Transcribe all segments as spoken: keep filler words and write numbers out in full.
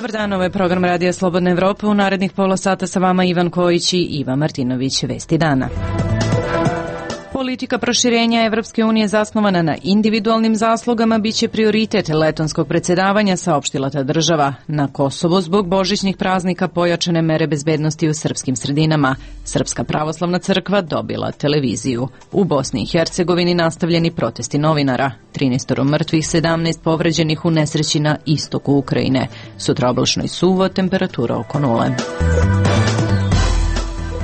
Dobar dan, ovo je program Radija Slobodna Evropa. U narednih pola sata sa vama Ivan Kojić i Iva Martinović. Vesti dana. Politika proširenja Evropske unije zasnovana na individualnim zaslugama biće prioritet letonskog predsjedavanja, saopštila ta država. Na Kosovu zbog božićnih praznika pojačane mere bezbednosti u srpskim sredinama. Srpska pravoslavna crkva dobila televiziju. U Bosni i Hercegovini nastavljeni protesti novinara. trinaest mrtvih, sedamnaest povređenih u nesreći na istoku Ukrajine. Sutra oblačno i suvo, temperatura oko nule.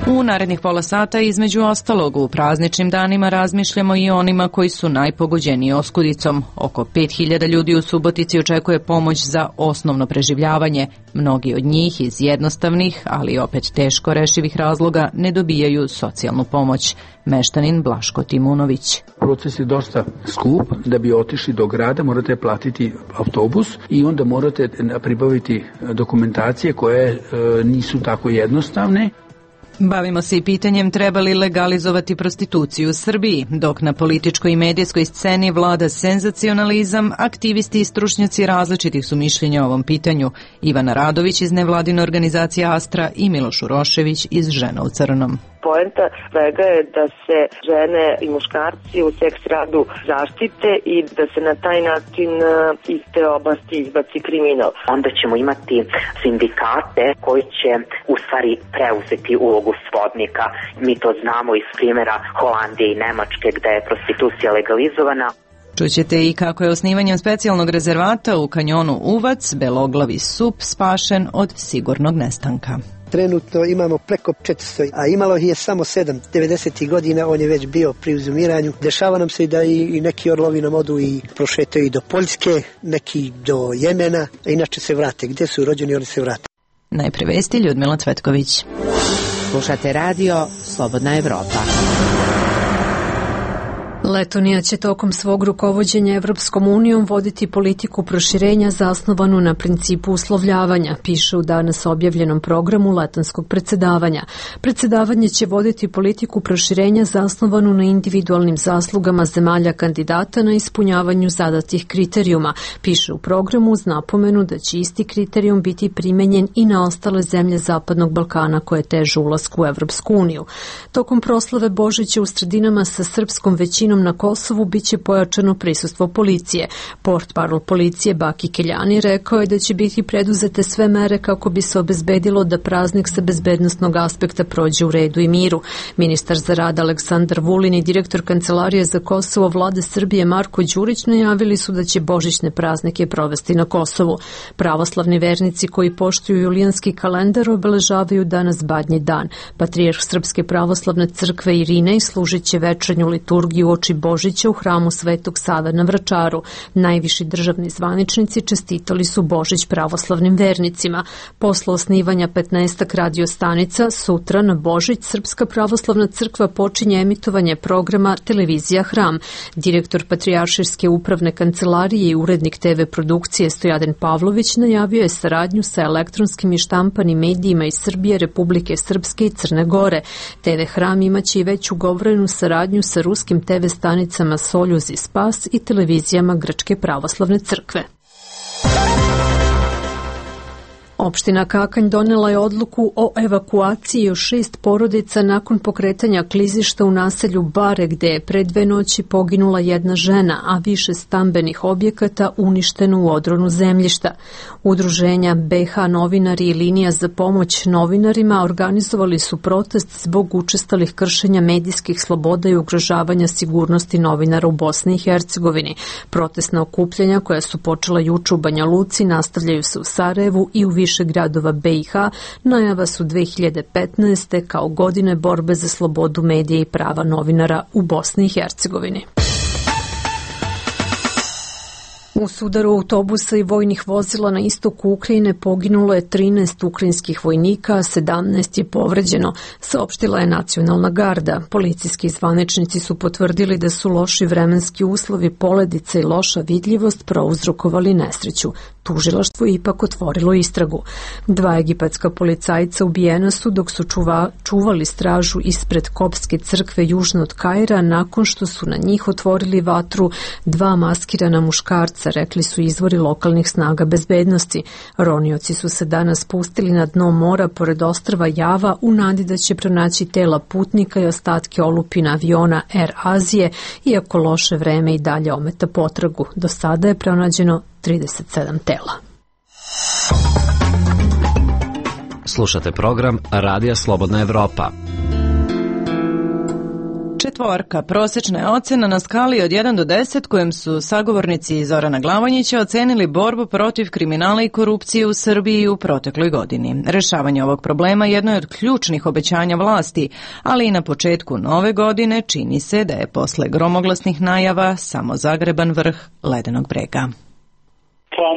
U narednih pola sata između ostalog u prazničnim danima razmišljamo i onima koji su najpogođeniji oskudicom. Oko pet hiljada ljudi u Subotici očekuje pomoć za osnovno preživljavanje. Mnogi od njih iz jednostavnih, ali opet teško rešivih razloga ne dobijaju socijalnu pomoć. Meštanin Blaško Timunović. Proces je dosta skup. Da bi otišli do grada morate platiti autobus i onda morate pribaviti dokumentacije koje e, nisu tako jednostavne. Bavimo se i pitanjem treba li legalizovati prostituciju u Srbiji. Dok na političkoj i medijskoj sceni vlada senzacionalizam, aktivisti i stručnjaci različitih su mišljenja o ovom pitanju. Ivana Radović iz nevladine organizacije Astra i Miloš Urošević iz Žena u crnom. Poenta svega je da se žene i muškarci u seks radu zaštite i da se na taj način iz te oblasti izbaci kriminal. Onda ćemo imati sindikate koji će u stvari preuzeti ulogu svodnika. Mi to znamo iz primjera Holandije i Nemačke gde je prostitucija legalizovana. Čućete i kako je osnivanjem specijalnog rezervata u kanjonu Uvac beloglavi sup spašen od sigurnog nestanka. Trenutno imamo preko četiristo, a imalo je samo sedam. devedesetih godina on je već bio pri uzumiranju. Dešava nam se i da i neki orlovi nam odu i prošetaju i do Poljske, neki do Jemena, a inače se vrate. Gdje su rođeni, oni se vrate. Najpre vesti Ljudmila Cvetković. Slušate radio Slobodna Evropa. Letonija će tokom svog rukovođenja Evropskom unijom voditi politiku proširenja zasnovanu na principu uslovljavanja, piše u danas objavljenom programu letonskog predsjedavanja. Predsjedavanje će voditi politiku proširenja zasnovanu na individualnim zaslugama zemalja kandidata na ispunjavanju zadatih kriterijuma, piše u programu uz napomenu da će isti kriterijum biti primenjen i na ostale zemlje Zapadnog Balkana koje teže ulasku u Evropsku uniju. Tokom proslave Božića u sredinama sa srpskom većinom na Kosovu biće pojačano prisustvo policije. Portparol policije Baki Keljani rekao je da će biti preduzete sve mere kako bi se obezbedilo da praznik sa bezbednosnog aspekta prođe u redu i miru. Ministar za rad Aleksandar Vulin i direktor Kancelarije za Kosovo vlade Srbije Marko Đurić najavili su da će božićne praznike provesti na Kosovu. Pravoslavni vernici koji poštuju julijanski kalendar obeležavaju danas Badnji dan. Patrijarh Srpske pravoslavne crkve Irinej služit će večernju liturgiju oči Božića u hramu Svetog Save na Vračaru. Najviši državni zvaničnici čestitali su Božić pravoslavnim vernicima. Posle osnivanja petnaestak radio stanica, sutra na Božić Srpska pravoslavna crkva počinje emitovanje programa Televizija Hram. Direktor Patrijaršijske upravne kancelarije i urednik te ve produkcije Stojaden Pavlović najavio je saradnju sa elektronskim i štampanim medijima iz Srbije, Republike Srpske i Crne Gore. te ve Hram imaće i već ugovorenu saradnju sa ruskim te ve stanicama Soljuz i Spas i televizijama Grčke pravoslavne crkve. Opština Kakanj donela je odluku o evakuaciji još šest porodica nakon pokretanja klizišta u naselju Bare, gde je pre dve noći poginula jedna žena, a više stambenih objekata uništeno u odronu zemljišta. Udruženja be ha novinari i linija za pomoć novinarima organizovali su protest zbog učestalih kršenja medijskih sloboda i ugrožavanja sigurnosti novinara u Bosni i Hercegovini. Protestna okupljanja koja su počela juče u Banja Luci nastavljaju se u Sarajevu i u više gradova be i ha. Najava su dve hiljade petnaeste kao godine borbe za slobodu medija i prava novinara u Bosni i Hercegovini. U sudaru autobusa i vojnih vozila na istoku Ukrajine poginulo je trinaest ukrajinskih vojnika, a sedamnaest je povređeno, saopštila je Nacionalna garda. Policijski zvaničnici su potvrdili da su loši vremenski uslovi, poledica i loša vidljivost prouzrokovali nesreću. Tužilaštvo je ipak otvorilo istragu. Dva egipatska policajca ubijena su dok su čuva, čuvali stražu ispred Kopske crkve južno od Kaira nakon što su na njih otvorili vatru dva maskirana muškarca, rekli su izvori lokalnih snaga bezbednosti. Ronioci su se danas spustili na dno mora pored ostrva Java u nadi da će pronaći tela putnika i ostatke olupina aviona Air Azije, iako loše vreme i dalje ometa potragu. Do sada je pronađeno trideset sedam tela. Slušate program Radija Slobodna Evropa. Četvorka, prosječna je ocena na skali od jedan do deset kojem su sagovornici Zorana Glavonjića ocenili borbu protiv kriminala i korupcije u Srbiji u protekloj godini. Rešavanje ovog problema jedno je od ključnih obećanja vlasti, ali i na početku nove godine čini se da je posle gromoglasnih najava samo zagreban vrh ledenog brega. Pa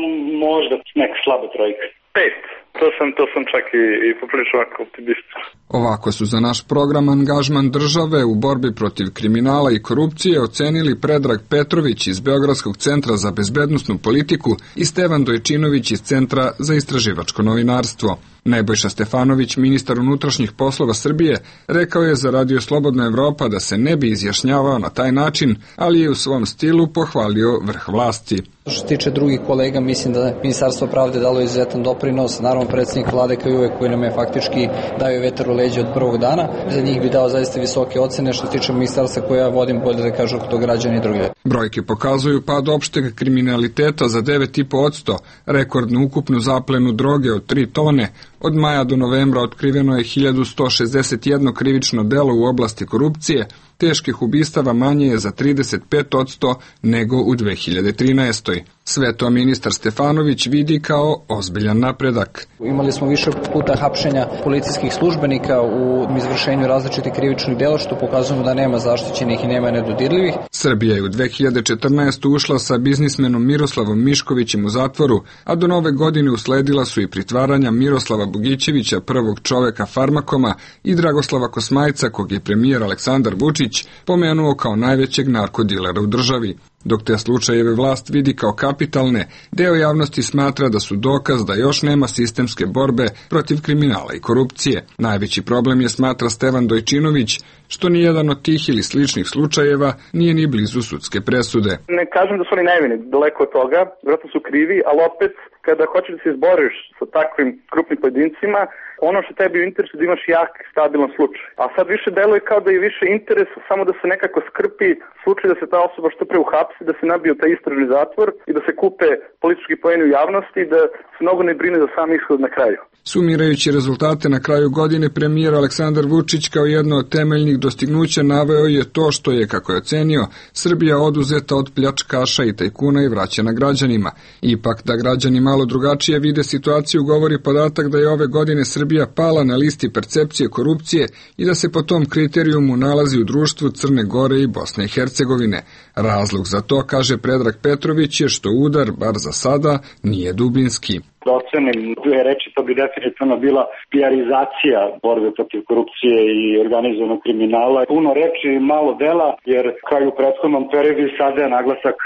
možda neka slaba trojka. Pet. To sam, to sam čak i, i poprilično ovako optimista. Ovako su za naš program angažman države u borbi protiv kriminala i korupcije ocenili Predrag Petrović iz Beogradskog centra za bezbednosnu politiku i Stevan Dojčinović iz Centra za istraživačko novinarstvo. Nebojša Stefanović, ministar unutrašnjih poslova Srbije, rekao je za Radio Slobodna Evropa da se ne bi izjašnjavao na taj način, ali je u svom stilu pohvalio vrh vlasti. Što se tiče drugih kolega, mislim da je Ministarstvo pravde dalo izuzetan doprinos, naravno predsjednik vlade kao i uvek koji nam je faktički dao vetar u leđe od prvog dana. Za njih bi dao zaista visoke ocene, što se tiče ministarstva koje ja vodim, bolje da kažu to građani i drugi. Brojke pokazuju pad opšteg kriminaliteta za devet zarez pet posto, rekordnu ukupnu zaplenu droge od tri tone. Od maja do novembra otkriveno je hiljadu sto šezdeset jedno krivično delo u oblasti korupcije, teških ubistava manje je za trideset pet posto nego u dve hiljade trinaestoj. Sve to ministar Stefanović vidi kao ozbiljan napredak. Imali smo više puta hapšenja policijskih službenika u izvršenju različitih krivičnih dela, što pokazujemo da nema zaštićenih i nema nedodirljivih. Srbija je u dve hiljade četrnaestoj ušla sa biznismenom Miroslavom Miškovićem u zatvoru, a do nove godine usledila su i pritvaranja Miroslava Bogićevića, prvog čoveka Farmakoma, i Dragoslava Kosmajca, kog je premijer Aleksandar Vučić pomenuo kao najvećeg narkodilera u državi. Dok te slučajeve vlast vidi kao kapitalne, deo javnosti smatra da su dokaz da još nema sistemske borbe protiv kriminala i korupcije. Najveći problem je, smatra Stevan Dojčinović, što nijedan od tih ili sličnih slučajeva nije ni blizu sudske presude. Ne kažem da su oni nevini, daleko od toga, vjerojatno su krivi, ali opet kada hoćeš da se izboriš sa takvim krupnim pojedincima, ono što tebi u interesu da imaš jak, stabilan slučaj. A sad više deluje kao da je više interes samo da se nekako skrpi slučaj, da se ta osoba što pre uhapsi, da se nabije u taj istražni zatvor i da se kupe politički poeni u javnosti i da se mnogo ne brine za sam ishod na kraju. Sumirajući rezultate na kraju godine, premijer Aleksandar Vučić kao jedno od temeljnih dostignuća naveo je to što je, kako je ocenio, Srbija oduzeta od pljačkaša i tajkuna i vraćena građanima. Ipak da građani malo drugačije vide situaciju govori podatak da je ove godine Srbija pala na listi percepcije korupcije i da se po tom kriterijumu nalazi u društvu Crne Gore i Bosne i Hercegovine. Razlog za to, kaže Predrag Petrović, je što udar, bar za sada, nije dubinski. Da ocenim dve reči, to bi definitivno bila pijarizacija borbe protiv korupcije i organizovanog kriminala. Puno reči, malo dela, jer kao i u prethodnom periodu sada je naglasak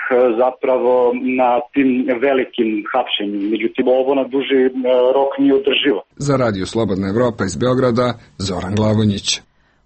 zapravo na tim velikim hapšenjima. Međutim, ovo na duži rok nije održivo. Za Radio Slobodna Evropa iz Beograda, Zoran Glavonjić.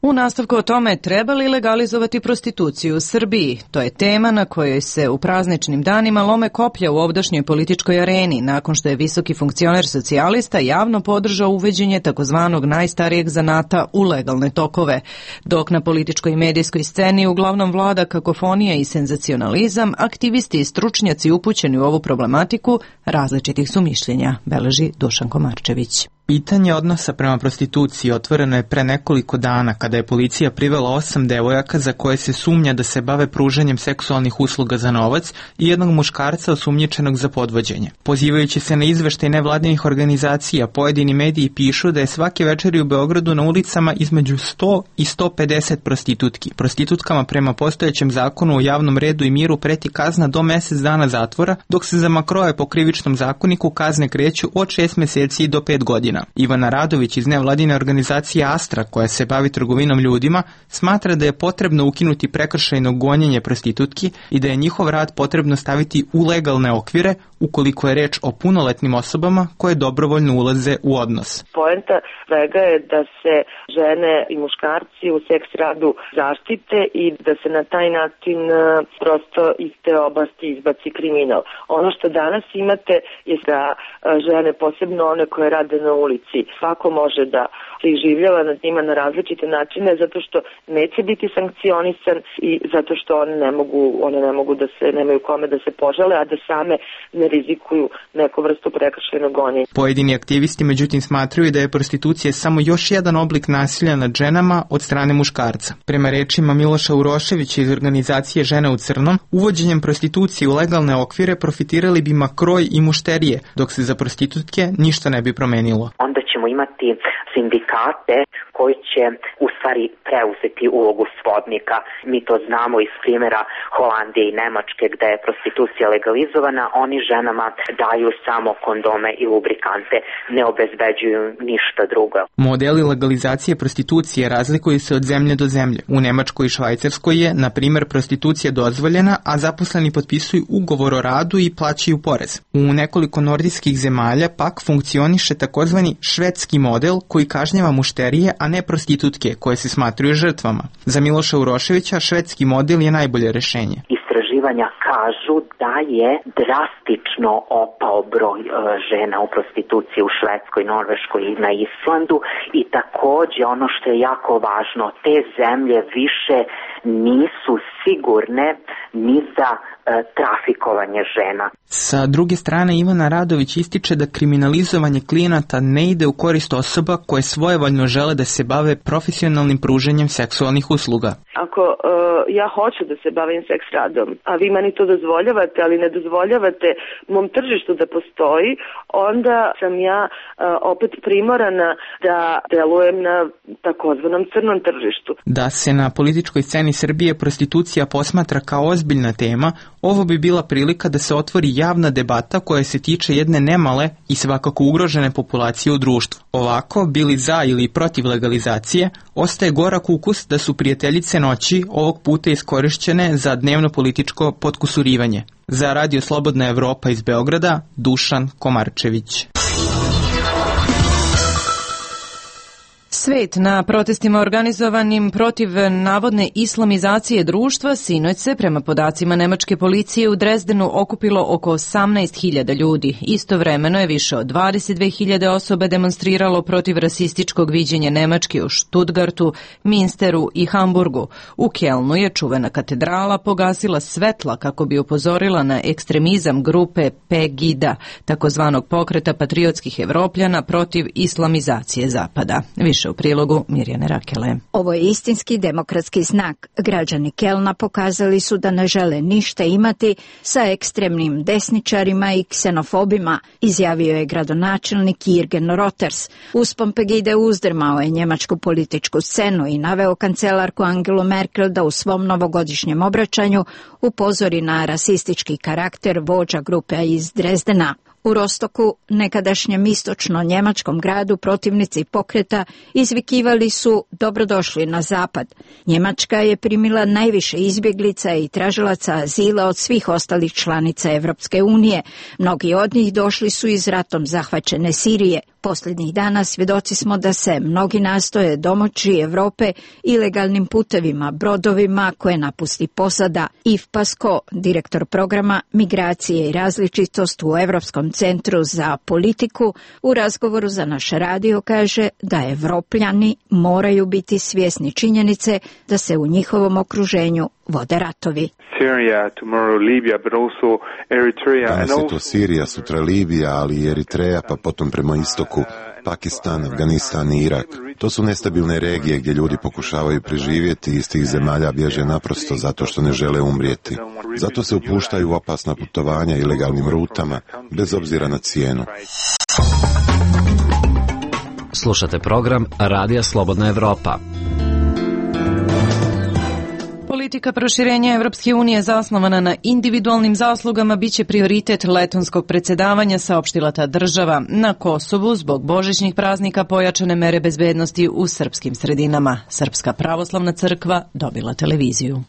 U nastavku o tome treba li legalizovati prostituciju u Srbiji. To je tema na kojoj se u prazničnim danima lome koplja u ovdašnjoj političkoj areni, nakon što je visoki funkcioner socijalista javno podržao uvođenje takozvanog najstarijeg zanata u legalne tokove. Dok na političkoj i medijskoj sceni uglavnom vlada kakofonija i senzacionalizam, aktivisti i stručnjaci upućeni u ovu problematiku različitih su mišljenja, beleži Dušan Komarčević. Pitanje odnosa prema prostituciji otvoreno je pre nekoliko dana kada je policija privela osam devojaka za koje se sumnja da se bave pružanjem seksualnih usluga za novac i jednog muškarca osumnjičenog za podvođenje. Pozivajući se na izveštaj nevladinih organizacija, pojedini mediji pišu da je svake večeri u Beogradu na ulicama između sto i sto pedeset prostitutki. Prostitutkama prema postojećem zakonu o javnom redu i miru preti kazna do mesec dana zatvora, dok se za makroje po krivičnom zakoniku kazne kreću od šest meseci do pet godina. Ivana Radović iz nevladine organizacije Astra, koja se bavi trgovinom ljudima, smatra da je potrebno ukinuti prekršajno gonjenje prostitutki i da je njihov rad potrebno staviti u legalne okvire ukoliko je reč o punoletnim osobama koje dobrovoljno ulaze u odnos. Poenta svega je da se žene i muškarci u seks radu zaštite i da se na taj način prosto iz te oblasti izbaci kriminal. Ono što danas imate je da žene, posebno one koje rade na ulici, svako može da se iživljava nad njima na različite načine zato što neće biti sankcionisan i zato što one ne mogu, one ne mogu da se, nemaju kome da se požale, a da same ne rizikuju neku vrstu prekršajnog gonjenja. Pojedini aktivisti međutim smatraju da je prostitucija samo još jedan oblik nasilja nad ženama od strane muškarca. Prema rečima Miloša Uroševića iz organizacije Žene u crnom, uvođenjem prostitucije u legalne okvire profitirali bi makroj i mušterije, dok se za prostitutke ništa ne bi promenilo. Onda ćemo imati sindikate koji će u stvari preuzeti ulogu svodnika. Mi to znamo iz primjera Holandije i Nemačke gde je prostitucija legalizovana, oni ženama daju samo kondome i lubrikante, ne obezbeđuju ništa drugo. Modeli legalizacije prostitucije razlikuju se od zemlje do zemlje. U Nemačkoj i Švajcarskoj je, na primjer, prostitucija dozvoljena, a zaposleni potpisuju ugovor o radu i plaćaju porez. U nekoliko nordijskih zemalja pak funkcioniše takozvani švedski model koji kažnjava mušterije, a ne prostitutke koje se smatruju žrtvama. Za Miloša Uroševića švedski model je najbolje rešenje. Istraživanja kažu da je drastično opao broj e, žena u prostituciji u Švedskoj, Norveškoj i na Islandu i takođe ono što je jako važno, te zemlje više nisu sigurne ni za e, trafikovanje žena. Sa druge strane, Ivana Radović ističe da kriminalizovanje klijenata ne ide u korist osoba koje svojevoljno žele da se bave profesionalnim pruženjem seksualnih usluga. Ako uh, ja hoću da se bavim seks radom, a vi meni to dozvoljavate, ali ne dozvoljavate mom tržištu da postoji, onda sam ja uh, opet primorana da delujem na takozvanom crnom tržištu. Da se na političkoj sceni Srbije prostitucija posmatra kao ozbiljna tema, ovo bi bila prilika da se otvori javna debata koja se tiče jedne nemale i svakako ugrožene populacije u društvu. Ovako, bili za ili protiv legalizacije, ostaje gorak ukus da su prijateljice noći ovog puta iskorišćene za dnevno političko potkusurivanje. Za Radio Slobodna Evropa iz Beograda, Dušan Komarčević. Svet na protestima organizovanim protiv navodne islamizacije društva sinoć se, prema podacima nemačke policije, u Drezdenu okupilo oko osamnaest hiljada ljudi. Istovremeno je više od dvadeset dve hiljade osoba demonstriralo protiv rasističkog viđenja Nemačke u Stuttgartu, Minsteru i Hamburgu. U Kelnu je čuvena katedrala pogasila svetla kako bi upozorila na ekstremizam grupe Pegida, takozvanog pokreta patriotskih Evropljana protiv islamizacije Zapada. Više u prilogu Mirjane Rakele. Ovo je istinski demokratski znak. Građani Kelna pokazali su da ne žele ništa imati sa ekstremnim desničarima i ksenofobima, izjavio je gradonačelnik Jürgen Roters. Uspon Pegide uzdrmao je njemačku političku scenu i naveo kancelarku Angelu Merkel da u svom novogodišnjem obraćanju upozori na rasistički karakter vođa grupe iz Drezdena. U Rostoku, nekadašnjem istočno-njemačkom gradu, protivnici pokreta izvikivali su dobrodošli na zapad. Njemačka je primila najviše izbjeglica i tražilaca azila od svih ostalih članica Evropske unije. Mnogi od njih došli su iz ratom zahvaćene Sirije. Posljednjih dana svjedoci smo da se mnogi nastoje domoći Evrope ilegalnim putevima, brodovima koje napusti posada. Yves Pasco, direktor programa Migracije i različitost u Evropskom centru za politiku, u razgovoru za naš radio kaže da Evropljani moraju biti svjesni činjenice da se u njihovom okruženju vode ratovi. Syria, tomorrow Libya, but also Eritrea. Danas je to Sirija, sutra Libija, ali i Eritreja, pa potom prema istoku Pakistan, Afganistan i Irak. To su nestabilne regije gdje ljudi pokušavaju preživjeti i iz tih zemalja bježe naprosto zato što ne žele umrijeti. Zato se upuštaju u opasna putovanja ilegalnim rutama, bez obzira na cijenu. Slušate program Radija Slobodna Evropa. Politika proširenja Evropske unije zasnovana na individualnim zaslugama biće prioritet letonskog predsjedavanja, saopštila ta država. Na Kosovu zbog božićnih praznika pojačane mere bezbednosti u srpskim sredinama. Srpska pravoslavna crkva dobila televiziju.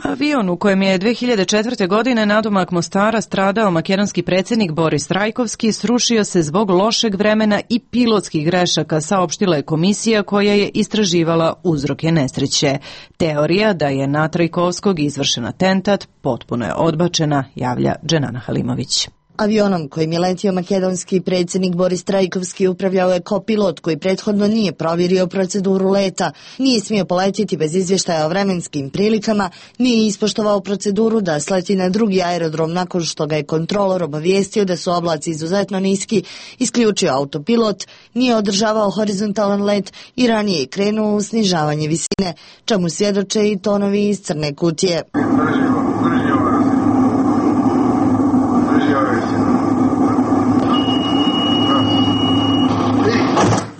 Avion u kojem je dve hiljade četvrte. godine nadomak Mostara stradao makedonski predsjednik Boris Trajkovski srušio se zbog lošeg vremena i pilotskih grešaka, saopštila je komisija koja je istraživala uzroke nesreće. Teorija da je na Trajkovskog izvršen atentat potpuno je odbačena, javlja Dženana Halimović. Avionom kojim je letio makedonski predsjednik Boris Trajkovski upravljao je kopilot koji prethodno nije provjerio proceduru leta, nije smio poletjeti bez izvještaja o vremenskim prilikama, nije ispoštovao proceduru da sleti na drugi aerodrom nakon što ga je kontrolor obavijestio da su oblaci izuzetno niski, isključio autopilot, nije održavao horizontalan let i ranije je krenuo u snižavanje visine, čemu svjedoče i tonovi iz crne kutije.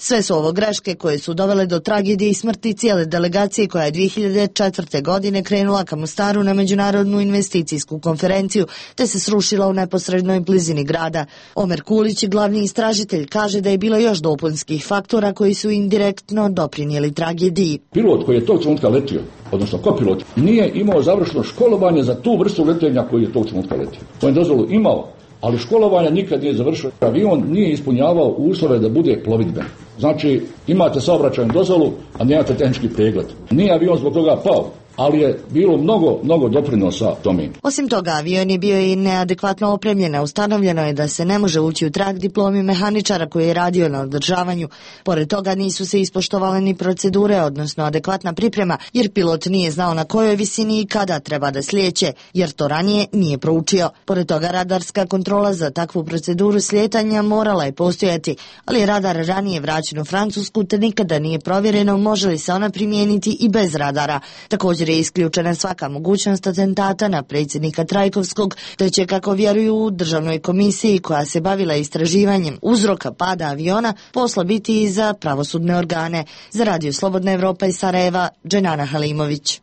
Sve su ovo greške koje su dovele do tragedije i smrti cijele delegacije koja je dve hiljade četvrte. godine krenula ka Mostaru na međunarodnu investicijsku konferenciju te se srušila u neposrednoj blizini grada. Omer Kulić, glavni istražitelj, kaže da je bilo još dopunskih faktora koji su indirektno doprinijeli tragediji. Pilot koji je tog trenutka letio, odnosno kopilot, nije imao završeno školovanje za tu vrstu letenja koji je tog trenutka letio. On je dozvolu imao, ali školovanja nikad nije završio. Avion nije ispunjavao uslove da bude plovidben. Znači, imate saobraćajnu dozvolu, a nemate tehnički pregled. Nije avion zbog toga pao, ali je bilo mnogo, mnogo doprinosa tome. Osim toga, avion je bio i neadekvatno opremljen. Ustanovljeno je da se ne može ući u trag diplomi mehaničara koji je radio na održavanju. Pored toga nisu se ispoštovale ni procedure, odnosno adekvatna priprema, jer pilot nije znao na kojoj visini i kada treba da slijeće, jer to ranije nije proučio. Pored toga, radarska kontrola za takvu proceduru slijetanja morala je postojati, ali radar ranije vraćen u Francusku te nikada nije provjereno može li se ona primijeniti i bez radara. Također je isključena svaka mogućnost atentata na predsjednika Trajkovskog, te će, kako vjeruju u državnoj komisiji koja se bavila istraživanjem uzroka pada aviona, posla biti i za pravosudne organe. Za Radio Slobodna Evropa iz Sarajeva, Dženana Halimović.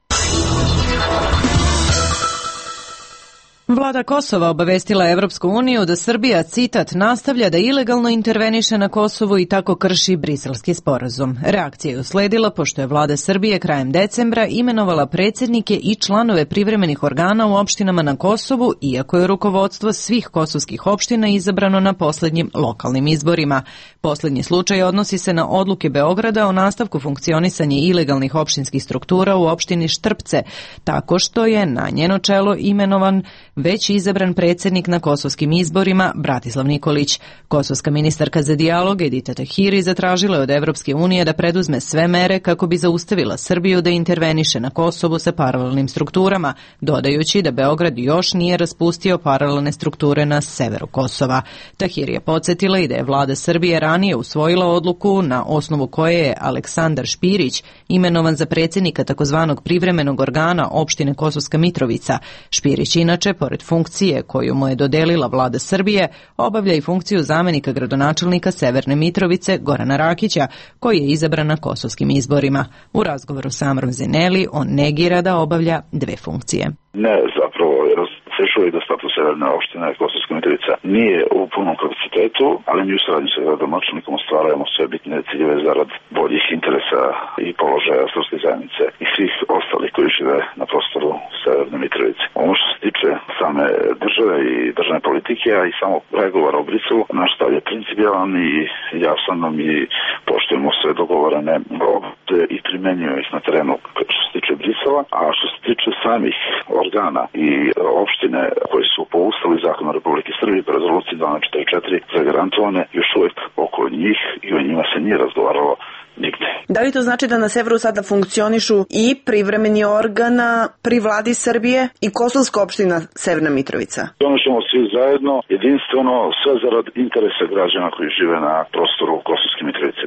Vlada Kosova obavestila Evropsku uniju da Srbija, citat, nastavlja da ilegalno interveniše na Kosovu i tako krši Briselski sporazum. Reakcija je usledila pošto je vlada Srbije krajem decembra imenovala predsjednike i članove privremenih organa u opštinama na Kosovu, iako je rukovodstvo svih kosovskih opština izabrano na posljednjim lokalnim izborima. Posljednji slučaj odnosi se na odluke Beograda o nastavku funkcionisanja ilegalnih opštinskih struktura u opštini Štrpce, tako što je na njeno čelo imenovan već izabran predsjednik na kosovskim izborima Bratislav Nikolić. Kosovska ministarka za dijalog Edita Tahiri zatražila je od Evropske unije da preduzme sve mere kako bi zaustavila Srbiju da interveniše na Kosovu sa paralelnim strukturama, dodajući da Beograd još nije raspustio paralelne strukture na severu Kosova. Tahiri je podsjetila i da je vlada Srbije ranije usvojila odluku na osnovu koje je Aleksandar Špirić imenovan za predsjednika takozvanog privremenog organa opštine Kosovska Mitrovica. Špirić inače, pored funkcije koju mu je dodelila vlada Srbije, obavlja i funkciju zamenika gradonačelnika Severne Mitrovice Gorana Rakića, koji je izabran na kosovskim izborima. U razgovoru sa Amrom Zeneli on negira da obavlja dve funkcije. Ne, zapravo, razrešuje da status Severne opštine Kosovska Mitrovica nije u punom kapacitetu, ali mi u saradnji sa gradonačelnikom ostvarujemo sve bitne ciljeve zarad boljih interesa i položaja srpske zajednice i svih ostalih koji žive na prostoru Severne Mitrovice. Ono što se tiče same države i državne politike, a i samo pregovora o Briselu, naš stav je principijalan i jasan, mi poštujemo sve dogovorene obveze i primenjujemo ih na terenu što se tiče Brisela, a što se tiče samih organa i opštine koji su po Ustavu i zakonu Republike Srbije po rezoluciji dvanaest četrdeset četiri zagarantovane, još uvijek oko njih i o njima se nije razgovaralo nigde. Da li to znači da na severu sada funkcionišu i privremeni organ pri vladi Srbije i Kosovska opština Severna Mitrovica? Ono ćemo svi zajedno, jedinstveno, sve zarad interesa građana koji žive na prostoru Kosovske Mitrovice.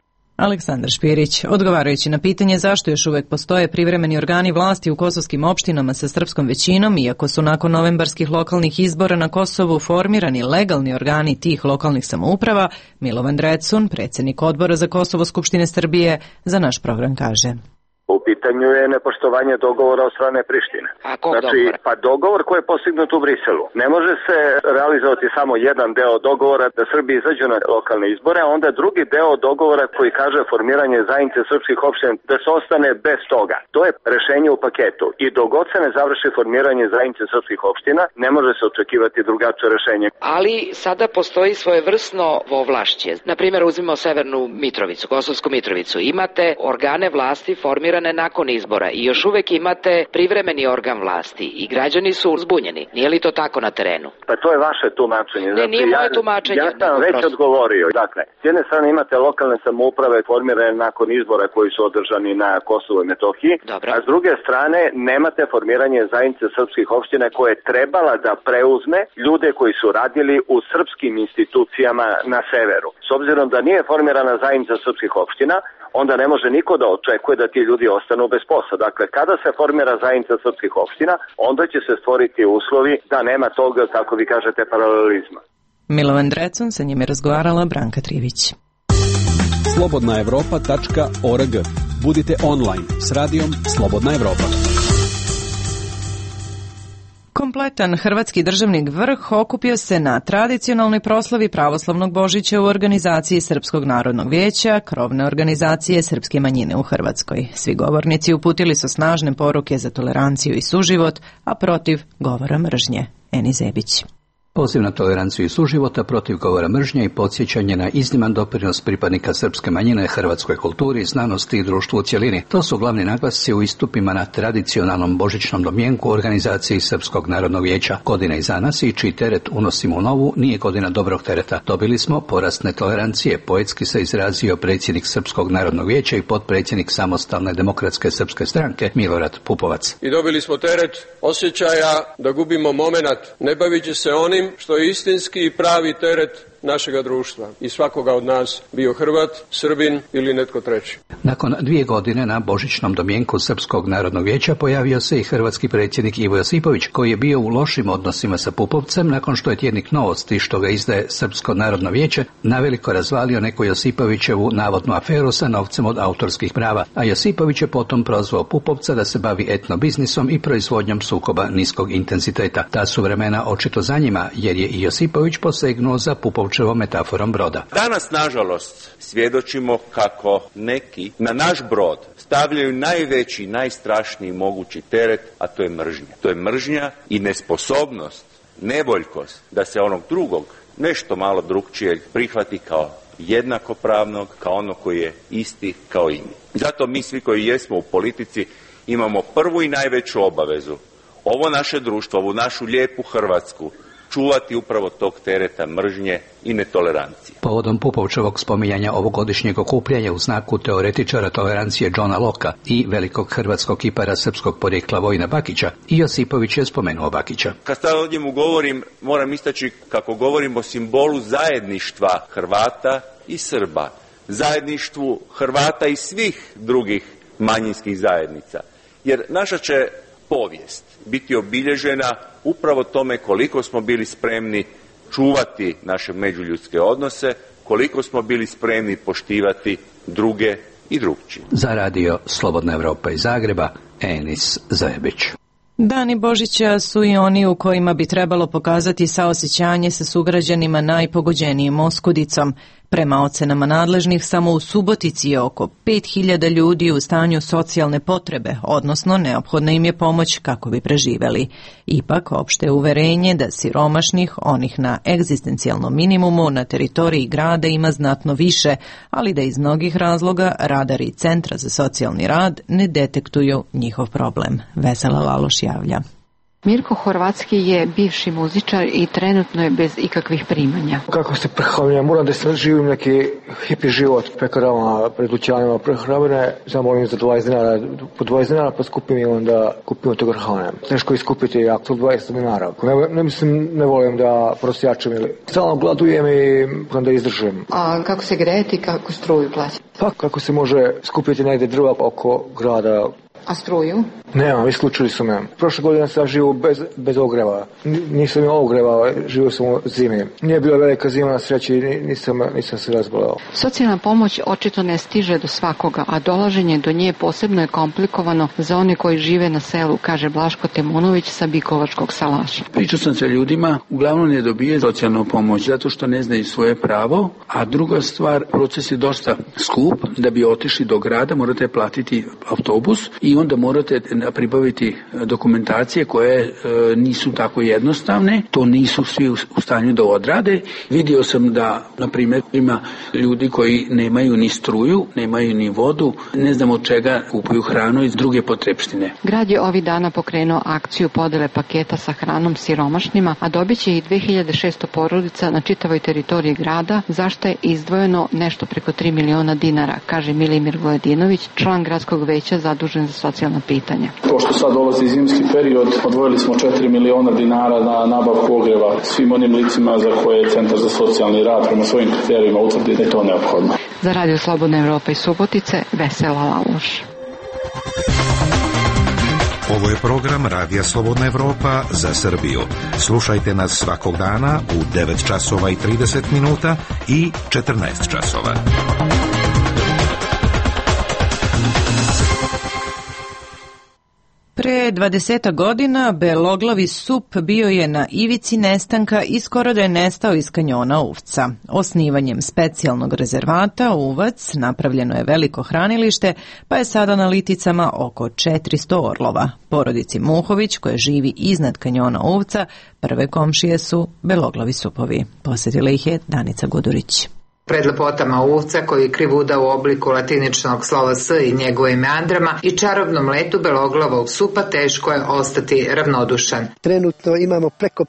Aleksandar Špirić, odgovarajući na pitanje zašto još uvek postoje privremeni organi vlasti u kosovskim opštinama sa srpskom većinom, iako su nakon novembarskih lokalnih izbora na Kosovu formirani legalni organi tih lokalnih samouprava, Milovan Drecun, predsjednik odbora za Kosovo Skupštine Srbije, za naš program kaže. U pitanju je nepoštovanje dogovora od strane Prištine. A kog znači, dogovora? Pa dogovor koji je postignut u Briselu. Ne može se realizovati samo jedan deo dogovora da Srbi izađu na lokalne izbore, a onda drugi deo dogovora koji kaže formiranje zajednice srpskih opština da se ostane bez toga. To je rešenje u paketu. I dok god se ne završi formiranje zajednice srpskih opština, ne može se očekivati drugačije rešenje. Ali sada postoji svojevrsno ovlašće. Na primjer, uzmimo Severnu Mitrovicu, Kosovsku Mitrovicu. Imate organe vlasti formirane nakon izbora i još uvek imate privremeni organ vlasti i građani su zbunjeni. Nije li to tako na terenu? Pa to je vaše tumačenje. Ne, znači, nije moje ja, tumačenje. Ja sam već prosto odgovorio. Dakle, s jedne strane imate lokalne samouprave formirane nakon izbora koji su održani na Kosovu i Metohiji, Dobro. A s druge strane nemate formiranje zajednice srpskih opština koja je trebala da preuzme ljude koji su radili u srpskim institucijama na severu. S obzirom da nije formirana zajednica srpskih opština, onda ne može niko da očekuje da ti ljudi ostanu bez posla. Dakle, kada se formira zajednica srpskih opština, onda će se stvoriti uslovi da nema toga, kako vi kažete, paralelizma. Milovan Drecun, sa njim je razgovarala Branka Trivić. slobodna evropa tačka org. Budite online s radijom Slobodna Evropa. Kompletan hrvatski državni vrh okupio se na tradicionalnoj proslavi pravoslavnog Božića u organizaciji Srpskog narodnog vijeća, krovne organizacije srpske manjine u Hrvatskoj. Svi govornici uputili su snažne poruke za toleranciju i suživot, a protiv govora mržnje. Eni Zebić. Poziv na toleranciju i suživota, protiv govora mržnje i podsjećanje na izniman doprinos pripadnika srpske manjine hrvatskoj kulturi, znanosti i društvu u cjelini. To su glavni naglasci u istupima na tradicionalnom božićnom domjenku u organizaciji Srpskog narodnog vijeća. Godina iza nas i čiji teret unosimo u novu nije godina dobrog tereta. Dobili smo porast netolerancije, poetski se izrazio predsjednik Srpskog narodnog vijeća i potpredsjednik Samostalne demokratske srpske stranke Milorad Pupovac. I dobili smo teret osjećaja da gubimo momenat, ne bavići se onim što je istinski i pravi teret našega društva i svakoga od nas, bio Hrvat, Srbin ili netko treći. Nakon dvije godine na božićnom domjenku Srpskog narodnog vijeća pojavio se i hrvatski predsjednik Ivo Josipović, koji je bio u lošim odnosima sa Pupovcem nakon što je tjednik Novosti, što ga izdaje Srpsko narodno vijeće, naveliko razvalio neku Josipovićevu navodnu aferu sa novcem od autorskih prava, a Josipović je potom prozvao Pupovca da se bavi etnobiznisom i proizvodnjom sukoba niskog intenziteta. Ta su vremena očito za njima, jer je i Josipović posegnuo za Pupovčevom metaforom broda. Danas, nažalost, svjedočimo kako neki na naš brod stavljaju najveći, najstrašniji mogući teret, a to je mržnja. To je mržnja i nesposobnost, nevoljkost da se onog drugog, nešto malo drugčijeg, prihvati kao jednakopravnog, kao ono koji je isti kao i mi. Zato mi svi koji jesmo u politici imamo prvu i najveću obavezu ovo naše društvo, ovu našu lijepu Hrvatsku, čuvati upravo tog tereta mržnje i netolerancije. Povodom Pupovčevog spominjanja ovogodišnjeg okupljanja u znaku teoretičara tolerancije Johna Locka i velikog hrvatskog kipara srpskog porijekla Vojina Bakića, i Josipović je spomenuo Bakića. Kad sad o njemu govorim, moram istaći kako govorim o simbolu zajedništva Hrvata i Srba, zajedništvu Hrvata i svih drugih manjinskih zajednica. Jer naša će povijest biti obilježena upravo tome koliko smo bili spremni čuvati naše međuljudske odnose, koliko smo bili spremni poštivati druge i drugčije. Za radio Slobodna Evropa iz Zagreba, Enis Zajebić. Dani Božića su i oni u kojima bi trebalo pokazati saosjećanje sa sugrađanima najpogođenijim oskudicom. Prema ocenama nadležnih, samo u Subotici je oko pet hiljada ljudi u stanju socijalne potrebe, odnosno neophodna im je pomoć kako bi preživeli. Ipak, opšte je uverenje da siromašnih, onih na egzistencijalnom minimumu na teritoriji grada ima znatno više, ali da iz mnogih razloga radari Centra za socijalni rad ne detektuju njihov problem. Vesela Laloš javlja. Mirko Horvatski je bivši muzičar i trenutno je bez ikakvih primanja. Kako se prehranjujem, moram da sad živim neki hipi život pekarama, pred dućanima prehrambene, zamolim za dvadeset dinara, po dvadeset dinara pa skupim i onda kupimo to hrane. Teško iskupiti jako dvadeset dinara. Ne, ne mislim, ne volim da prosjačem ili stalno gladujem i onda izdržim. A kako se grejete i kako struju plaćati? Pa kako se može skupiti negdje drva oko grada, A struju? Nemam, isključili su me. Prošle godine sam živio bez, bez ogreva. Nisam imao ogreva, živio sam u zimi. Nije bila velika zima na sreći i nisam, nisam se razboleo. Socijalna pomoć očito ne stiže do svakoga, a dolaženje do nje posebno je komplikovano za one koji žive na selu, kaže Blaško Temunović sa Bikovačkog salaša. Pričao sam sa ljudima, uglavnom ne dobije socijalnu pomoć zato što ne znaju svoje pravo, a druga stvar, proces je dosta skup. Da bi otišli do grada morate platiti autobus i onda morate pribaviti dokumentacije koje e, nisu tako jednostavne, to nisu svi u, u stanju da odrade. Vidio sam da, na primjer, ima ljudi koji nemaju ni struju, nemaju ni vodu, ne znam od čega kupuju hranu i druge potrepštine. Grad je ovih dana pokrenuo akciju podele paketa sa hranom siromašnima, a dobit će i dve hiljade šesto porodica na čitavoj teritoriji grada, zašto je izdvojeno nešto preko tri miliona dinara, kaže Milimir Vojadinović, član gradskog veća zadužen za socijalna pitanja. Pošto sad dolazi zimski period, odvojili smo četiri miliona dinara na nabavku ogreva svim onim licima za koje je Centar za socijalni rad prema svojim kriterijima utvrdi da je to neophodno. Za Radio Slobodna Evropa iz Subotice, Vesela Laloš. Ovo je program Radija Slobodna Evropa za Srbiju. Slušajte nas svakog dana u devet časova i trideset minuta i četrnaest časova. Pre dvadesetak godina beloglavi sup bio je na ivici nestanka i skoro da je nestao iz kanjona Uvca. Osnivanjem specijalnog rezervata Uvac napravljeno je veliko hranilište, pa je sada na liticama oko četiristo orlova. Porodici Muhović, koja živi iznad kanjona Uvca, prve komšije su beloglavi supovi. Posjetila ih je Danica Gudurić. Pred lepotama Uvca, koji krivuda u obliku latiničnog slova S i njegovim meandrama i čarobnom letu beloglavog supa, teško je ostati ravnodušan. Trenutno imamo preko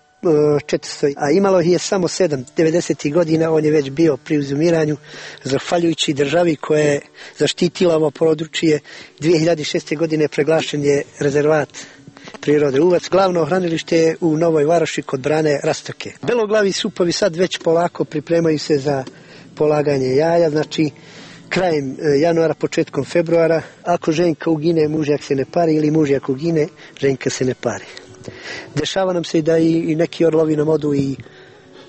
četiristo, a imalo je samo sedam. devedesetih godina on je već bio pri uzumiranju, zahvaljujući državi koja je zaštitila ovo područje. dve hiljade šeste. godine proglašen je rezervat prirode Uvac. Glavno hranilište je u Novoj Varoši kod brane Rastoke. Beloglavi supovi sad već polako pripremaju se za polaganje jaja, znači krajem januara, početkom februara. Ako ženka ugine, mužjak se ne pari, ili mužjak ugine, ženka se ne pari. Dešava nam se da i, i neki orlovi nam odu i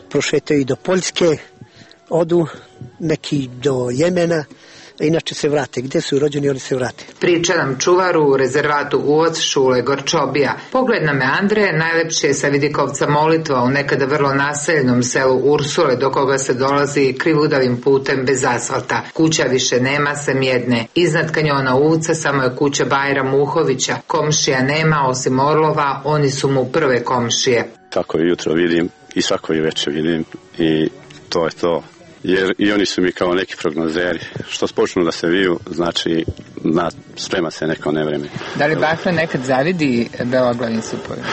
prošetaju i do Poljske, odu neki do Jemena, inače se vrate. Gde su rođeni, oni se vrate. Priča nam čuvaru u rezervatu Uvac Šule Gorčobija. Pogled na meandre najlepše je sa vidikovca Molitva u nekada vrlo naseljenom selu Ursule, do koga se dolazi krivudavim putem bez asfalta. Kuća više nema, sem jedne. Iznad kanjona Uvca samo je kuća Bajra Muhovića. Komšija nema, osim orlova, oni su mu prve komšije. Tako jutro vidim i svako i večer vidim i to je to. Jer i oni su mi kao neki prognozeri. Što počnu da se viju, znači na, sprema se neko nevreme. Da li Bakra nekad zavidi beloglavim supovima?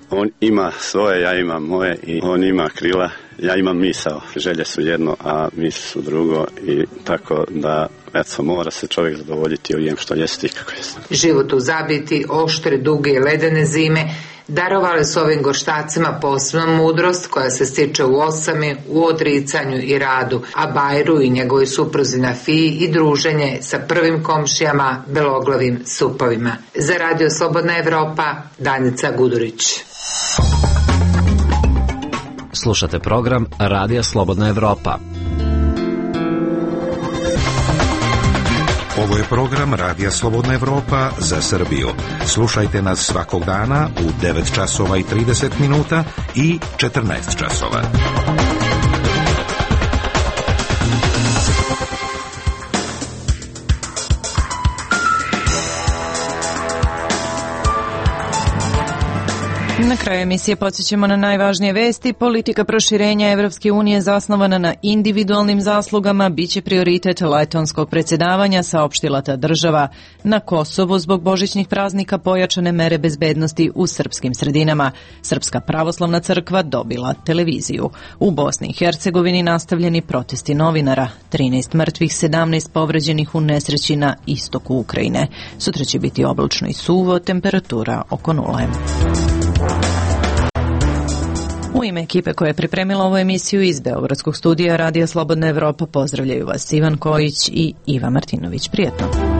On ima svoje, ja imam moje i on ima krila, ja imam misao. Želje su jedno, a misli su drugo i tako da eto, mora se čovjek zadovoljiti ovim što jeste i kako jeste. Život u zabiti, oštre, duge i ledene zime darovali su ovim gorštacima posebnu mudrost koja se stiče u osami, u odricanju i radu, a Bajru i njegovoj supruzi Nafiji i druženje sa prvim komšijama beloglavim supovima. Za Radio Slobodna Evropa, Danica Gudurić. Slušate program Radija Slobodna Evropa. Ovo je program Radija Slobodna Evropa za Srbiju. Slušajte nas svakog dana u devet časova i trideset minuta i četrnaest časova. Na kraju emisije podsjećamo na najvažnije vesti. Politika proširenja Evropske unije zasnovana na individualnim zaslugama biće prioritet letonskog predsjedavanja, saopštila ta država. Na Kosovu zbog božićnih praznika pojačane mere bezbednosti u srpskim sredinama. Srpska pravoslavna crkva dobila televiziju. U Bosni i Hercegovini nastavljeni protesti novinara. trinaest mrtvih, sedamnaest povređenih u nesreći na istoku Ukrajine. Sutra će biti oblačno i suvo, temperatura oko nule. U ime ekipe koja je pripremila ovu emisiju iz Beogradskog studija Radija Slobodna Evropa pozdravljaju vas Ivan Kojić i Iva Martinović. Prijetno.